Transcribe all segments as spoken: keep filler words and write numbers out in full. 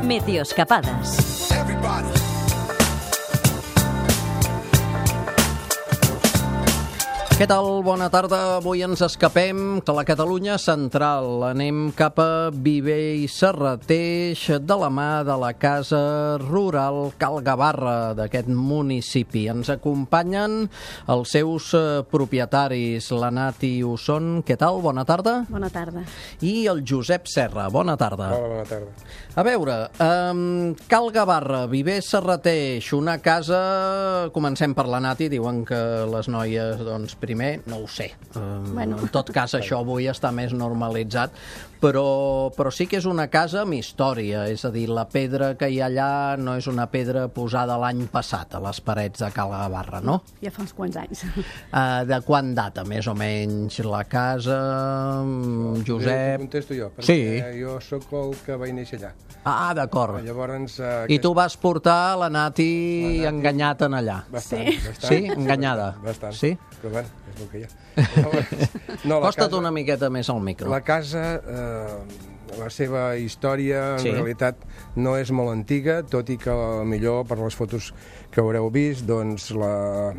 Meteoscapades. Què tal? Bona tarda. Avui ens escapem de la Catalunya central. Anem cap a Viver i Serrateix de la mà de la Casa Rural Cal Gavarra d'aquest municipi. Ens acompanyen els seus propietaris, la Nati Usson. Què tal? Bona tarda. Bona tarda. I el Josep Serra. Bona tarda. Hola, bona tarda. A veure, um, Cal Gavarra, Viver Serrateix, una casa... Comencem per la Nati. Diuen que les noies, doncs, primer, no ho sé. Um, bueno. En tot cas, això avui està més normalitzat, però, però sí que és una casa amb història, és a dir, la pedra que hi ha allà no és una pedra posada l'any passat a les parets de Cal Gavarra, no? Ja fa uns quants anys. Uh, de quan data, més o menys, la casa, Josep? Jo contesto jo, perquè sí. Jo sóc el que vaig néixer allà. Ah, d'acord. Llavors... Uh, I tu vas portar la Nati, la Nati enganyat en allà. Bastant, sí. bastant. Sí? Enganyada? Bastant. Sí? Però bueno, és el que hi ha. No, Costa't casa, una miqueta més al micro. La casa, eh, la seva història, en sí. realitat, no és molt antiga, tot i que millor per les fotos que haureu vist, doncs la,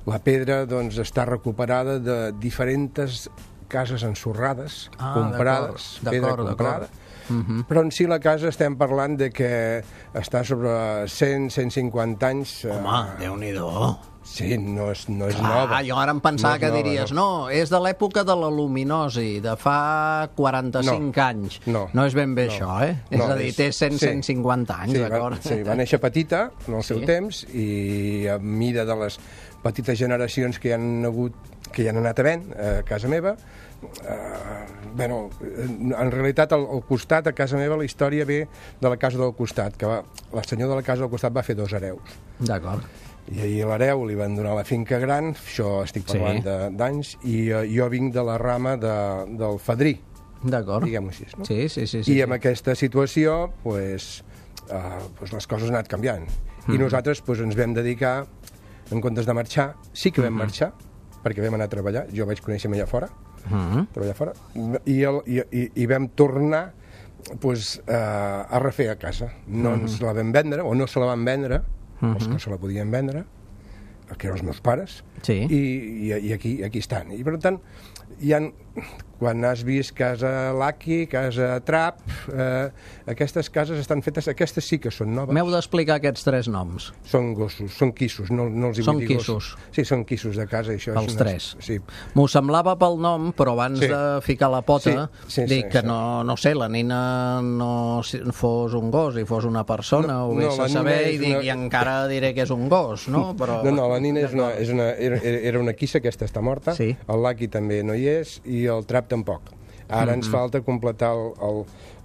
la pedra doncs, està recuperada de diferents cases ensorrades, ah, comprades, pedra comprada. Uh-huh. Però en si la casa estem parlant de que està sobre cent a cent cinquanta anys. Home, eh... Déu-n'hi-do. Sí, no és, no és Clar, nova. Jo ara em pensava no que nova, diries, no, no, és de l'època de la luminosi, de fa quaranta-cinc no. anys. No. No és ben bé no. això, eh? No, és a dir, té cent a cent cinquanta anys, sí, d'acord? Va, sí, va néixer petita en el seu sí. temps i a mida de les petites generacions que hi han hagut, que hi han anat havent a casa meva, eh, bueno, en realitat al, al costat, a casa meva, la història ve de la casa del costat, que va, la senyora de la casa del costat va fer dos hereus. D'acord. I ahir a l'hereu li van donar la finca gran, això estic parlant sí. d'anys, i uh, jo vinc de la rama de, del fadrí, diguem-ho així. No? Sí, sí, sí, sí, I sí. amb aquesta situació, pues, uh, pues les coses han anat canviant. Mm-hmm. I nosaltres pues, ens vam dedicar, en comptes de marxar, sí que vam mm-hmm. marxar, perquè vam anar a treballar, jo vaig conèixer allà fora, mm-hmm. treballar fora, i, el, i, i, i vam tornar pues, uh, a refer a casa. No mm-hmm. ens la vam vendre, o no se la van vendre, Uh-huh. els que se la podien vendre, que eren els meus pares, sí. i, i, i aquí, aquí estan. I per tant, hi ha, quan has vist Casa Laki, Casa Trap, eh, aquestes cases estan fetes, aquestes sí que són noves. M'heu d'explicar aquests tres noms. Són gossos, són quissos, no, no els hi són vull dir quissos. Gossos. Sí, són quissos de casa. Això els és tres. Unes... Sí. M'ho semblava pel nom, però abans sí. de ficar la pota, sí, sí, dic sí, que sí. no, no sé, la nina no fos un gos i fos una persona, no, ho vés no, a saber, i, dic, una... i encara diré que és un gos, no? Però... No, no, la nina és una, és una, era, era una quissa, aquesta està morta, sí. el Laki també no hi és, i el Trap tampoc. Ara ens mm-hmm. falta completar el, el,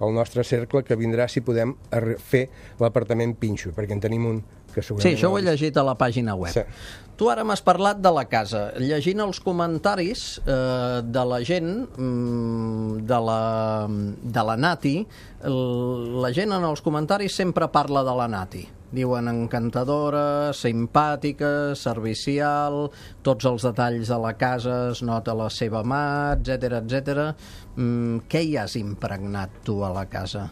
el nostre cercle, que vindrà si podem fer l'apartament Pinxo, perquè en tenim un que segurament... Sí, això ho he llegit a la pàgina web. Sí. Tu ara m'has parlat de la casa. Llegint els comentaris eh, de la gent, de la, de la Nati, la gent en els comentaris sempre parla de la Nati. Diuen encantadora, simpàtica, servicial, tots els detalls de la casa es nota la seva mà, etcètera, etcètera. Mm, què hi has impregnat tu a la casa?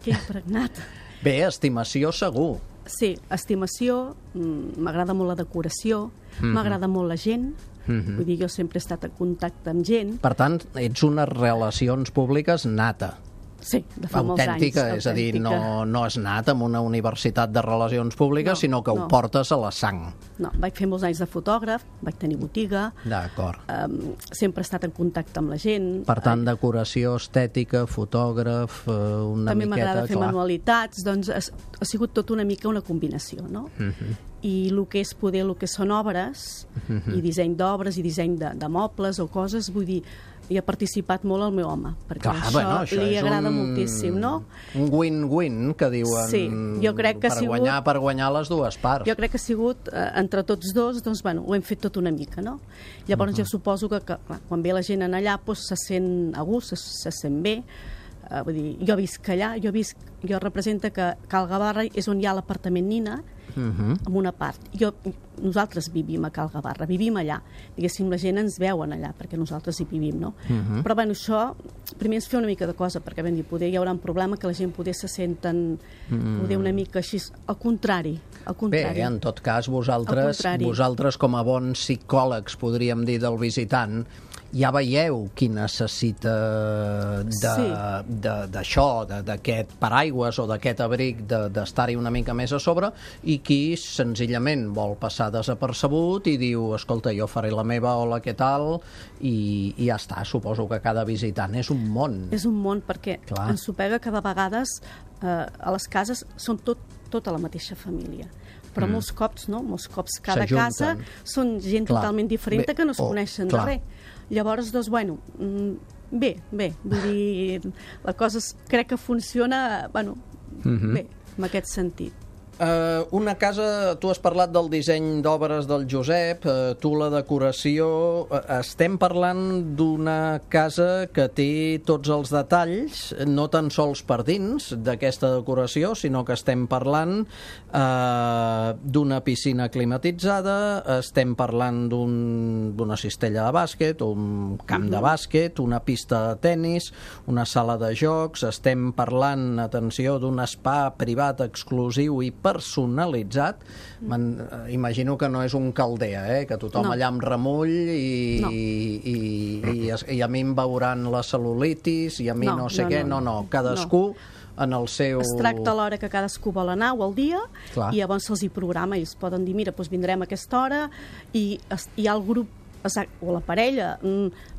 Què he impregnat? Bé, estimació segur. Sí, estimació, m'agrada molt la decoració, mm-hmm. m'agrada molt la gent, mm-hmm. vull dir, jo sempre he estat en contacte amb gent. Per tant, ets unes relacions públiques nata. Sí, de fa molts anys. Autèntica, és a dir, no, no has anat amb una universitat de relacions públiques, no, sinó que no. ho portes a la sang. No, vaig fer molts anys de fotògraf, vaig tenir botiga. D'acord. Um, sempre he estat en contacte amb la gent. Per tant, decoració estètica, fotògraf, una També miqueta... També m'agrada fer clar. manualitats, doncs ha, ha sigut tot una mica una combinació, no? Uh-huh. I el que és poder, el que són obres, uh-huh. i disseny d'obres, i disseny de, de mobles o coses, vull dir, hi ha participat molt el meu home, perquè clar, això, bueno, això li agrada un, moltíssim, no? Un win-win, que diuen, sí, jo crec que per, ha sigut, guanyar, per guanyar les dues parts. Jo crec que ha sigut, eh, entre tots dos, doncs, bueno, ho hem fet tot una mica, no? Llavors uh-huh. jo suposo que, que clar, quan ve la gent en allà, doncs, se sent a gust, se, se sent bé. Uh, vull dir, jo visc allà, jo, visc, jo represento que Cal Gavarra és on hi ha l'apartament Nina, uh-huh. en una part. Jo, nosaltres vivim a Cal Gavarra, vivim allà. Diguéssim, la gent ens veuen allà, perquè nosaltres hi vivim, no? Uh-huh. Però, bueno, això, primer ens fer una mica de cosa, perquè, ben dir, poder hi haurà un problema que la gent poder se senten, mm. poder una mica així, al contrari, al contrari. Bé, en tot cas, vosaltres, vosaltres com a bons psicòlegs, podríem dir, del visitant, ja veieu qui necessita d'això, sí. d'aquest paraigües o d'aquest abric, d'estar-hi una mica més a sobre, i qui senzillament vol passar desapercebut i diu, escolta, jo faré la meva, hola, què tal, i, i ja està. Suposo que cada visitant és un món. És un món, perquè Clar. ens ho pega que de vegades eh, a les cases són tot, tota la mateixa família. Però mm. molts cops, no? Molts cops cada casa són gent clar. totalment diferent bé, que no es oh, coneixen clar. de res. Llavors, doncs, bueno, bé, bé, vull dir, la cosa crec que funciona, bueno, mm-hmm. bé, en aquest sentit. Uh, una casa, tu has parlat del disseny d'obres del Josep, uh, tu la decoració, uh, estem parlant d'una casa que té tots els detalls, no tan sols per dins d'aquesta decoració, sinó que estem parlant uh, d'una piscina climatitzada, estem parlant d'una un, cistella de bàsquet, un camp de bàsquet, una pista de tennis, una sala de jocs, estem parlant, atenció, d'un spa privat exclusiu i personalitzat. Man, imagino que no és un caldea, eh? Que tothom no. allà amb remull i, no. i, i, i, i a mi em veuran la cel·lulitis i a mi no, no sé no, què, no, no, no. Cadascú no. en el seu... Es tracta a l'hora que cadascú vol anar o al dia Clar. i llavors se'ls hi programa i els poden dir, mira, doncs vindrem a aquesta hora i hi ha el grup Exacte, o la parella,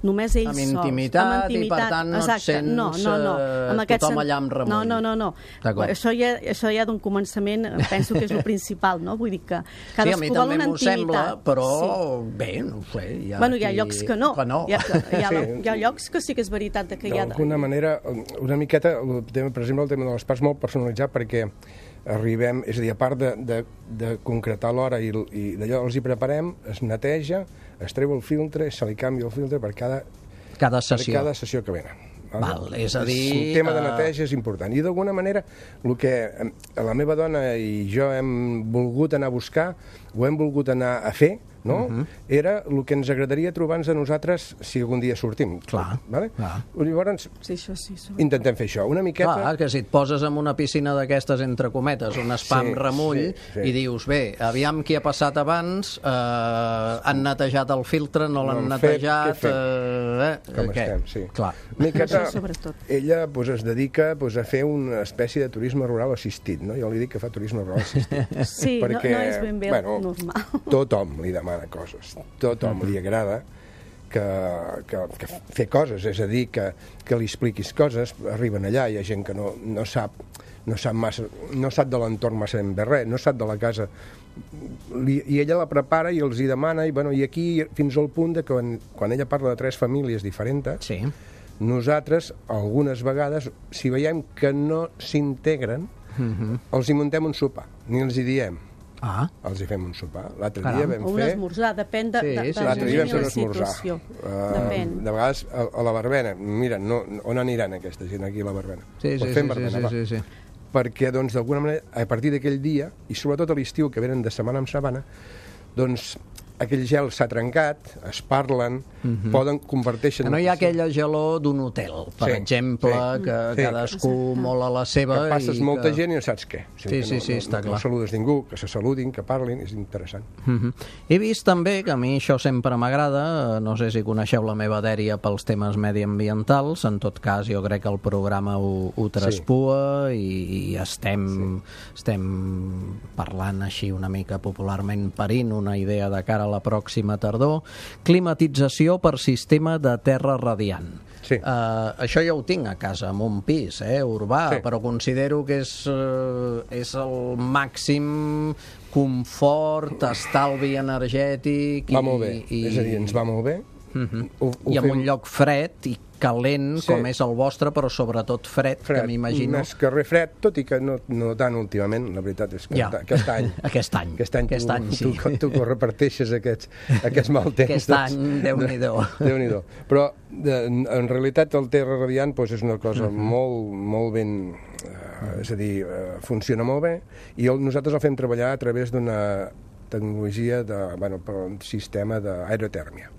només ells amb intimitat, sols. Amb intimitat, i per tant no et sents no, no, no. Amb tothom sen... allà amb remull. No, no, no. no. Això ja, això ja d'un començament penso que és el principal, no? Vull dir que cadascú sí, vol una intimitat. Sí, a mi també m'ho sembla, però sí. bé, no ho sé. Hi ha, bueno, hi ha llocs que no. Que no. Hi, ha, hi, ha, sí. hi ha llocs que sí que és veritat que hi ha... D'alguna manera, una miqueta, per exemple, el tema de l'espais molt personalitzat perquè arribem, és a dir, a part de, de, de concretar l'hora i, i d'allò els hi preparem, es neteja, es treu el filtre, se li canvia el filtre per cada, cada sessió, per cada sessió que venen. Vale? Val, és a dir... Un tema de neteja és important. I d'alguna manera, el que la meva dona i jo hem volgut anar a buscar, ho hem volgut anar a fer, no? Uh-huh. Era el que ens agradaria trobar-nos a nosaltres si algun dia sortim. Clar, vale? clar. Llavors, sí, això sí, intentem fer això. Una miqueta... Clar, que si et poses en una piscina d'aquestes, entre cometes, un spa amb sí, remull, sí, sí. i dius, bé, aviam qui ha passat abans, eh, han netejat el filtre, no l'han no netejat... Fet, eh, eh, Com què? estem, sí. Clar. Miqueta, ella pues, es dedica pues, a fer una espècie de turisme rural assistit, no? Jo li dic que fa turisme rural assistit. Sí, perquè, no, no és ben bé bueno, normal. Tothom li demana coses. Tothom li agrada que, que, que fer coses, és a dir, que, que li expliquis coses. Arriben allà, hi ha gent que no, no sap no sap, massa, no sap de l'entorn massa ben bé res, no sap de la casa. I ella la prepara i els hi demana, i, bueno, i aquí fins al punt de que quan, quan ella parla de tres famílies diferents, sí. nosaltres, algunes vegades, si veiem que no s'integren, uh-huh. els hi muntem un sopar, ni els hi diem. Ah. Els hi fem un sopar. L'altre dia vam o fer... un esmorzar, depèn de, sí, de, de, l'altre dia vam fer un esmorzar. Uh, depèn. De vegades a, a la Barbena, mira, no, on aniran aquesta gent aquí a la Barbena? Sí, sí, fem sí, Barbena, sí, sí, sí. Perquè, doncs, d'alguna manera, a partir d'aquell dia, i sobretot a l'estiu, que venen de setmana en setmana, doncs aquell gel s'ha trencat, es parlen, uh-huh. poden converteixen... Que no hi ha aquella gelor d'un hotel, per sí, exemple, sí, que sí. cadascú sí. molt a la seva... Que passes i molta que... gent i no saps què. Sí, sí, sí, sí, no, està no, clar. No saludes ningú, que se saludin, que parlin, és interessant. Uh-huh. He vist també, que a mi això sempre m'agrada, no sé si coneixeu la meva dèria pels temes mediambientals, en tot cas jo crec que el programa ho, ho traspua sí. i, i estem, sí. estem parlant així una mica popularment parint una idea de cara a la pròxima tardor, climatització per sistema de terra radiant. Sí. Uh, això ja ho tinc a casa, en un pis eh, urbà, sí. però considero que és, uh, és el màxim confort, estalvi energètic... Va molt bé, i... és a dir, ens va molt bé. Uh-huh. ho, ho I en fem... un lloc fred i calent, sí. com és el vostre, però sobretot fred, fred que m'imagino... Més que res fred, tot i que no, no tant últimament, la veritat és que ja. aquest any... aquest any, aquest any, aquest tu, any sí. tu, tu, tu reparteixes aquests, aquests mal temps. Aquest any, doncs, Déu-n'hi-do. Déu-n'hi-do. Però, de, en realitat, el terra radiant pues, és una cosa uh-huh. molt, molt ben... Eh, Uh, és a dir, uh, funciona molt bé i el, nosaltres el fem treballar a través d'una tecnologia de, bueno, per un sistema d'aerotèrmia.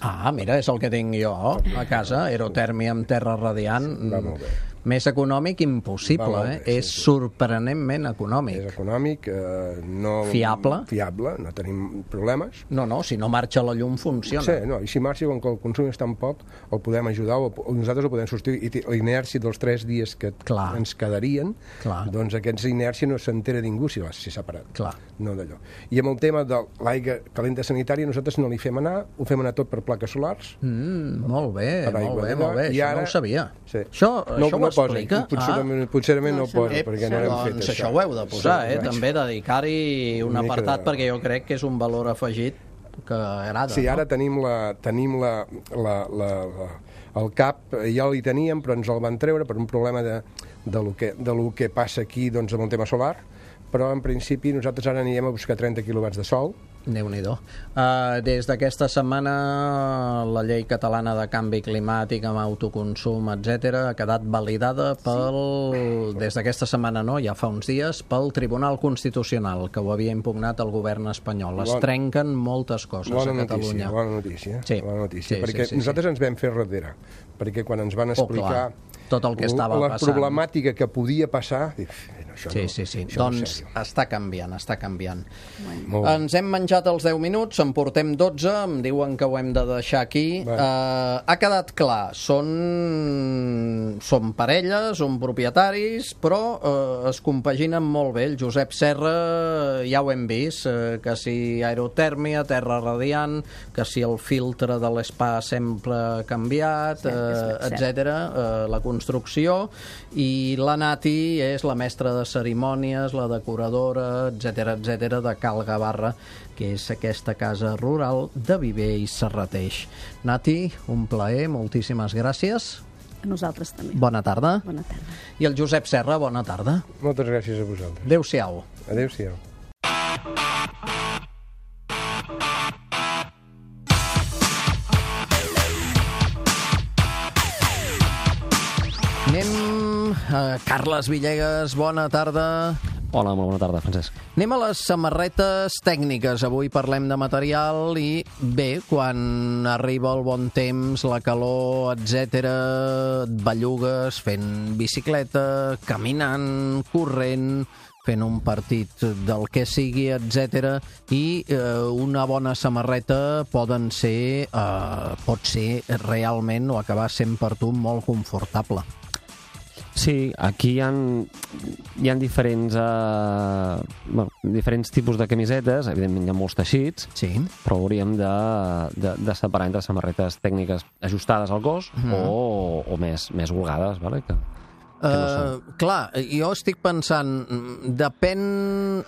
Ah, mira, és el que tinc jo a casa, aerotèrmia amb terra radiant. Va molt bé. Més econòmic impossible, eh? Bé, és sí, sorprenentment econòmic. És econòmic, eh, no... Fiable. Fiable, no tenim problemes. No, no, si no marxa la llum funciona. Sí, no, i si marxa, com que el consum és tan poc, el podem ajudar, o, o nosaltres el podem substituir, i l'inèrcia dels tres dies que Clar. ens quedarien, Clar. doncs aquesta inèrcia no s'entera ningú si l'ha separat. Clar. No d'allò. I amb el tema de l'aigua calenta sanitària, nosaltres no li fem anar, ho fem anar tot per plaques solars. Mm, molt bé, Per molt aigua bé, de molt bé, llum, i això ara- no ho sabia. Sí. Això, No, això no ho explica? posa, potser, Ah. potser no, no ho posa, No, perquè això no no. hem fet Doncs això. això ho heu de posar, Sí, eh? vaig. També dedicar-hi un Una mica apartat, de- perquè jo crec que és un valor afegit que agrada. Sí, ara no? tenim, la, tenim la, la, la, la, el cap, ja l'hi teníem, però ens el van treure per un problema de, de, lo, que, de lo que passa aquí doncs, amb el tema solar, però en principi nosaltres ara anirem a buscar trenta quilowatts de sol. Déu-n'hi-do. Uh, des d'aquesta setmana la llei catalana de canvi climàtic amb autoconsum, etcètera, ha quedat validada pel, sí. des d'aquesta setmana no, ja fa uns dies, pel Tribunal Constitucional, que ho havia impugnat el govern espanyol. Es Bon, trenquen moltes coses bona a Catalunya. Notícia, bona notícia, Sí. bona notícia, Sí, perquè sí, sí, nosaltres sí. ens vam fer darrere, perquè quan ens van Oh, explicar clar, tot el que estava la passant. problemàtica que podia passar, dic, no, això Sí, no, sí, sí. això no és Doncs sèrio. està canviant, està canviant. Molt bé. Ens hem menjat els deu minuts, en portem dotze, em diuen que ho hem de deixar aquí. Bé. Uh, ha quedat clar, són, són parella, són propietaris, però uh, es compaginen molt bé. El Josep Serra, ja ho hem vist, uh, que si aerotèrmia, terra radiant, que si el filtre de l'espa sempre ha canviat, Cert, és uh, cert. etcètera, uh, la construcció, i la Nati és la mestra de cerimònies, la decoradora, etcètera, etcètera, de Cal Gavarra, que és aquesta casa rural de Viver i Serrateix. Nati, un plaer, moltíssimes gràcies. A nosaltres també. Bona tarda. Bona tarda. I el Josep Serra, bona tarda. Moltes gràcies a vosaltres. Adéu-siau. Adéu-siau. Anem a Carles Villegas, bona tarda. Hola, molt bona tarda, Francesc. Anem a les samarretes tècniques. Avui parlem de material i, bé, quan arriba el bon temps, la calor, etcètera, et bellugues fent bicicleta, caminant, corrent, fent un partit del que sigui, etcètera, i eh, una bona samarreta poden ser, eh, pot ser realment o acabar sent per tu molt confortable. Sí, aquí hi ha, hi ha diferents, eh, bueno, diferents tipus de camisetes, evidentment hi ha molts teixits, Sí. però hauríem de, de, de separar entre samarretes tècniques ajustades al cos Mhm. o, o més, més holgades, vale? que, que no són. Uh, clar, jo estic pensant, mm, depèn...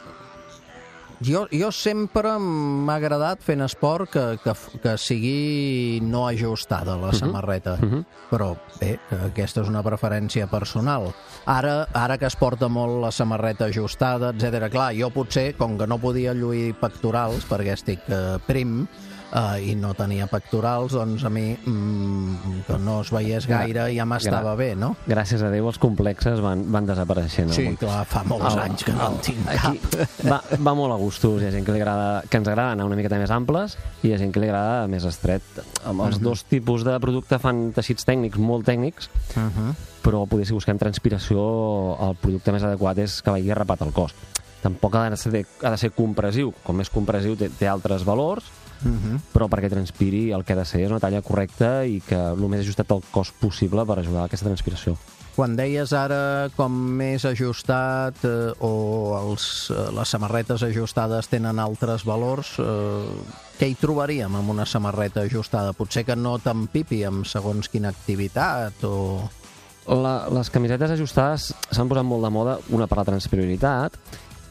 Jo, jo sempre m'ha agradat fent esport que, que, que sigui no ajustada la samarreta, Mhm. però bé, aquesta és una preferència personal. Ara, ara que es porta molt la samarreta ajustada, etcètera, clar, jo potser, com que no podia lluir pectorals perquè estic eh, prim, Uh, i no tenia pectorals, doncs a mi mm, que no es veiés gaire ja m'estava Gra- bé, no? Gràcies a Déu els complexes van, van desapareixent. Sí, Algun- clar, fa molts El- anys que no en tinc aquí cap. Va, va molt a gustos. Hi ha gent que, li agrada, que ens agrada anar una miqueta més amples i hi ha gent que li agrada més estret. Amb els dos tipus de producte fan teixits tècnics, molt tècnics, Uh -huh. però poder, si busquem transpiració, el producte més adequat és que vagi arrapat al cos. Tampoc ha de ser, ha de ser compressiu. Com més compressiu té, té altres valors, Uh -huh. però perquè transpiri el que ha de ser és una talla correcta i que el més ajustat al cos possible per ajudar a aquesta transpiració. Quan deies ara com més ajustat eh, o els, eh, les samarretes ajustades tenen altres valors, eh, què hi trobaríem amb una samarreta ajustada? Potser que no t'empipi amb segons quina activitat o... La, les camisetes ajustades s'han posat molt de moda, una per la transpirabilitat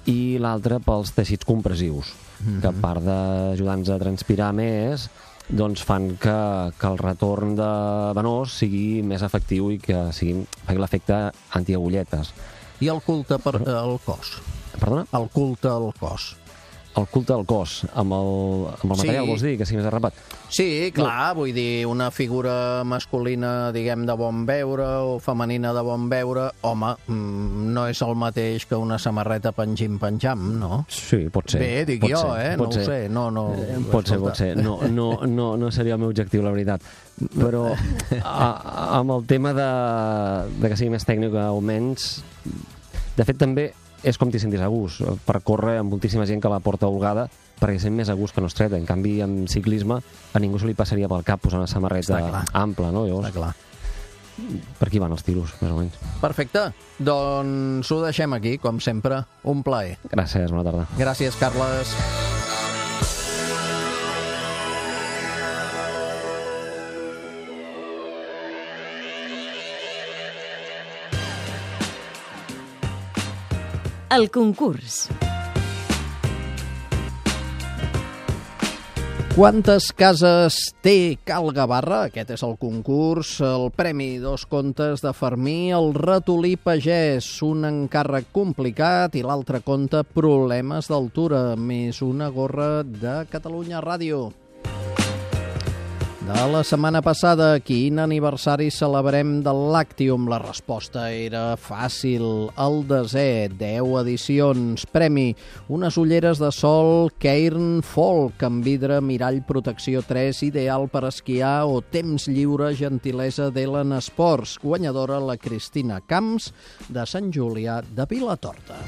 i l'altra pels teixits compressius, Mhm. que a part d'ajudar-nos a transpirar més, doncs fan que, que el retorn de venós sigui més efectiu i que sigui, faci l'efecte antiagulletes. I el culte per, al cos? Perdona? El culte al cos. el culte al cos, amb el, amb el material, Sí. vols dir, que sigui més arrapat? Sí, clar, vull dir, una figura masculina, diguem, de bon veure o femenina de bon veure, home, mm, no és el mateix que una samarreta pengim-penjam, no? Sí, pot ser. Bé, dic pot jo, ser, eh? No pot ho sé, no, no... Eh, Pot ser, pot ser. No, no, no, no seria el meu objectiu, la veritat. Però a, amb el tema de, de que sigui més tècnic o menys, de fet també és com t'hi sentis a gust. Per córrer amb moltíssima gent que la porta holgada perquè sent més a gust que no estreta. En canvi, en ciclisme a ningú se li passaria pel cap posar una samarreta ampla, no? Llavors, Està clar. per aquí van els tiros, més o menys. Perfecte. Doncs ho deixem aquí, com sempre. Un plaer. Gràcies, bona tarda. Gràcies, Carles. El concurs. Quantes cases té Cal Gavarra? Aquest és el concurs. El premi, dos contes de Fermí, el ratolí pagès, un encàrrec complicat, i l'altre conte, problemes d'altura, més una gorra de Catalunya Ràdio. De la setmana passada, quin aniversari celebrem del Làctium? La resposta era fàcil, el desè, deu edicions. Premi, unes ulleres de sol Cairn Folk amb vidre mirall protecció tres, ideal per esquiar o temps lliure, gentilesa d'Ellen Sports. Guanyadora la Cristina Camps, de Sant Julià de Vilatorta.